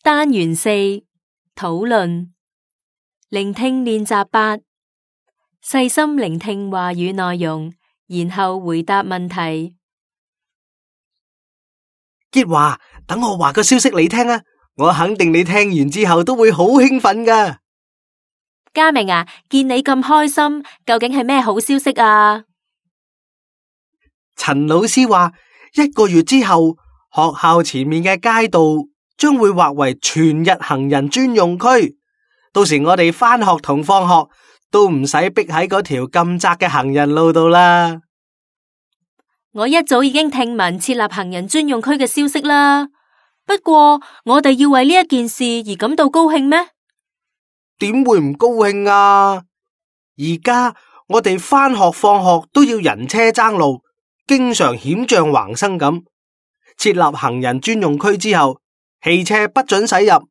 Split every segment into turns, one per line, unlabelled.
單元4討論聆聽練習8，細心聆聽話語內容，然後回答問題。
傑華，等我話個消息你聽啊！我肯定你聽完之後都會好興奮㗎。
嘉明啊，見你咁開心，究竟係咩好消息啊？
陳老師話，1個月之後，學校前面嘅街道將會劃為全日行人專用區。到時我哋返學同放學都唔使逼喺嗰條咁窄嘅行人路度啦。
我一早已經聽聞設立行人專用區嘅消息啦。不過我哋要為呢一件事而感到高興咩？
點會唔高興啊？而家我哋返學放學都要人車爭路，經常險象橫生咁。設立行人專用區之後，汽車不准駛入，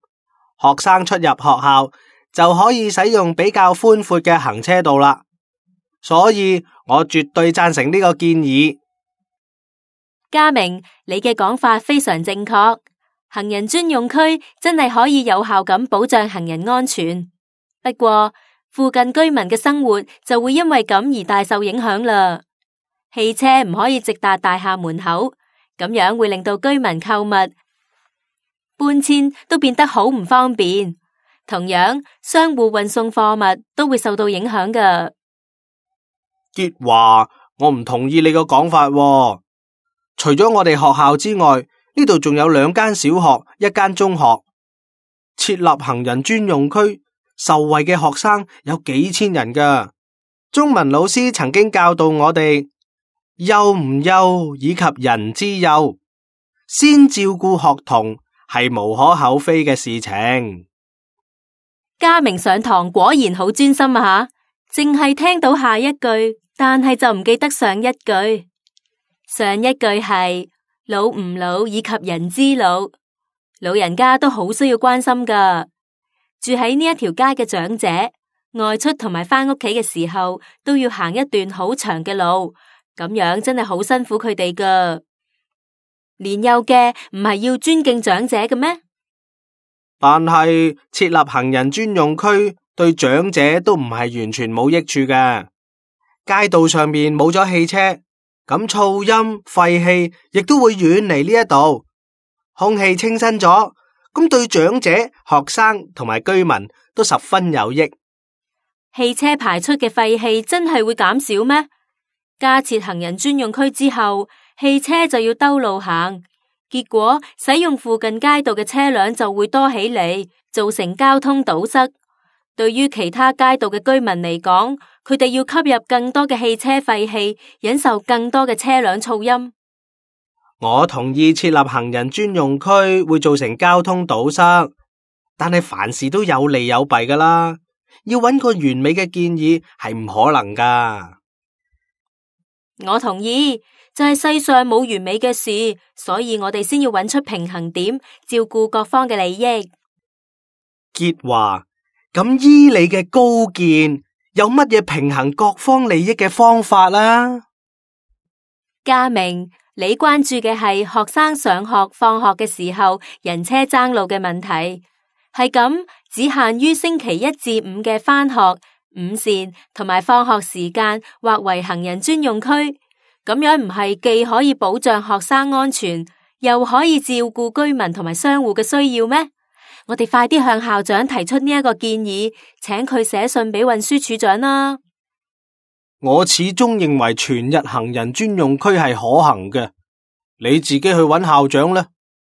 學生出入學校就可以使用比較寬闊嘅行車道啦。所以我絕對贊成呢個建議。
嘉明，你嘅講法非常正確，行人專用區真係可以有效咁保障行人安全。不過附近居民嘅生活就會因為咁而大受影響啦。汽車唔可以直達大廈門口，咁樣會令到居民購物、搬遷都變得好唔方便。同樣，商戶運送貨物都會受到影響㗎。
傑華，我唔同意你個講法喎。除咗我哋學校之外，呢度仲有2間小學、1間中學。設立行人專用區，受惠嘅學生有幾千人㗎。中文老師曾經教導我哋，幼唔幼以及人之幼，先照顧學童係無可厚非嘅事情。
嘉明上堂果然好專心啊吓，淨係聽到下一句，但係就唔記得上一句。上一句係老唔老以及人之老，老人家都好需要關心㗎。住喺呢一條街嘅長者，外出同埋返屋企嘅時候都要行一段好長嘅路，咁樣真係好辛苦佢哋㗎。年幼嘅唔係要尊敬長者嘅咩？
但係設立行人專用區對長者都唔係完全冇益處嘅。街道上面冇咗汽車，咁噪音、廢氣亦都會遠離呢一度，空氣清新咗，咁對長者、學生同埋居民都十分有益。
汽車排出嘅廢氣真係會減少咩？加設行人專用區之後，汽車就要兜路行，結果使用附近街道嘅車輛就會多起嚟，造成交通堵塞。對於其他街道嘅居民嚟講，佢哋要吸入更多嘅汽車廢氣，忍受更多嘅車輛噪音。
我同意設立行人專用區會造成交通堵塞，但係凡事都有利有弊㗎啦。要揾個完美嘅建議係唔可能㗎。
我同意，就係世上冇完美嘅事，所以我哋先要揾出平衡點，照顧各方嘅利益。
傑華，咁依你嘅高見，有乜嘢平衡各方利益嘅方法啦？
嘉明，你關注嘅係學生上學、放學嘅時候人車爭路嘅問題，係咁只限於星期1至5嘅返學、午膳同埋放學時間劃為行人專用區，咁樣唔係既可以保障學生安全，又可以照顧居民同埋商戶嘅需要咩？我哋快啲向校長提出呢一個建議，請佢寫信俾運輸署長啦。
我始終認為全日行人專用區係可行嘅，你自己去揾校長啦。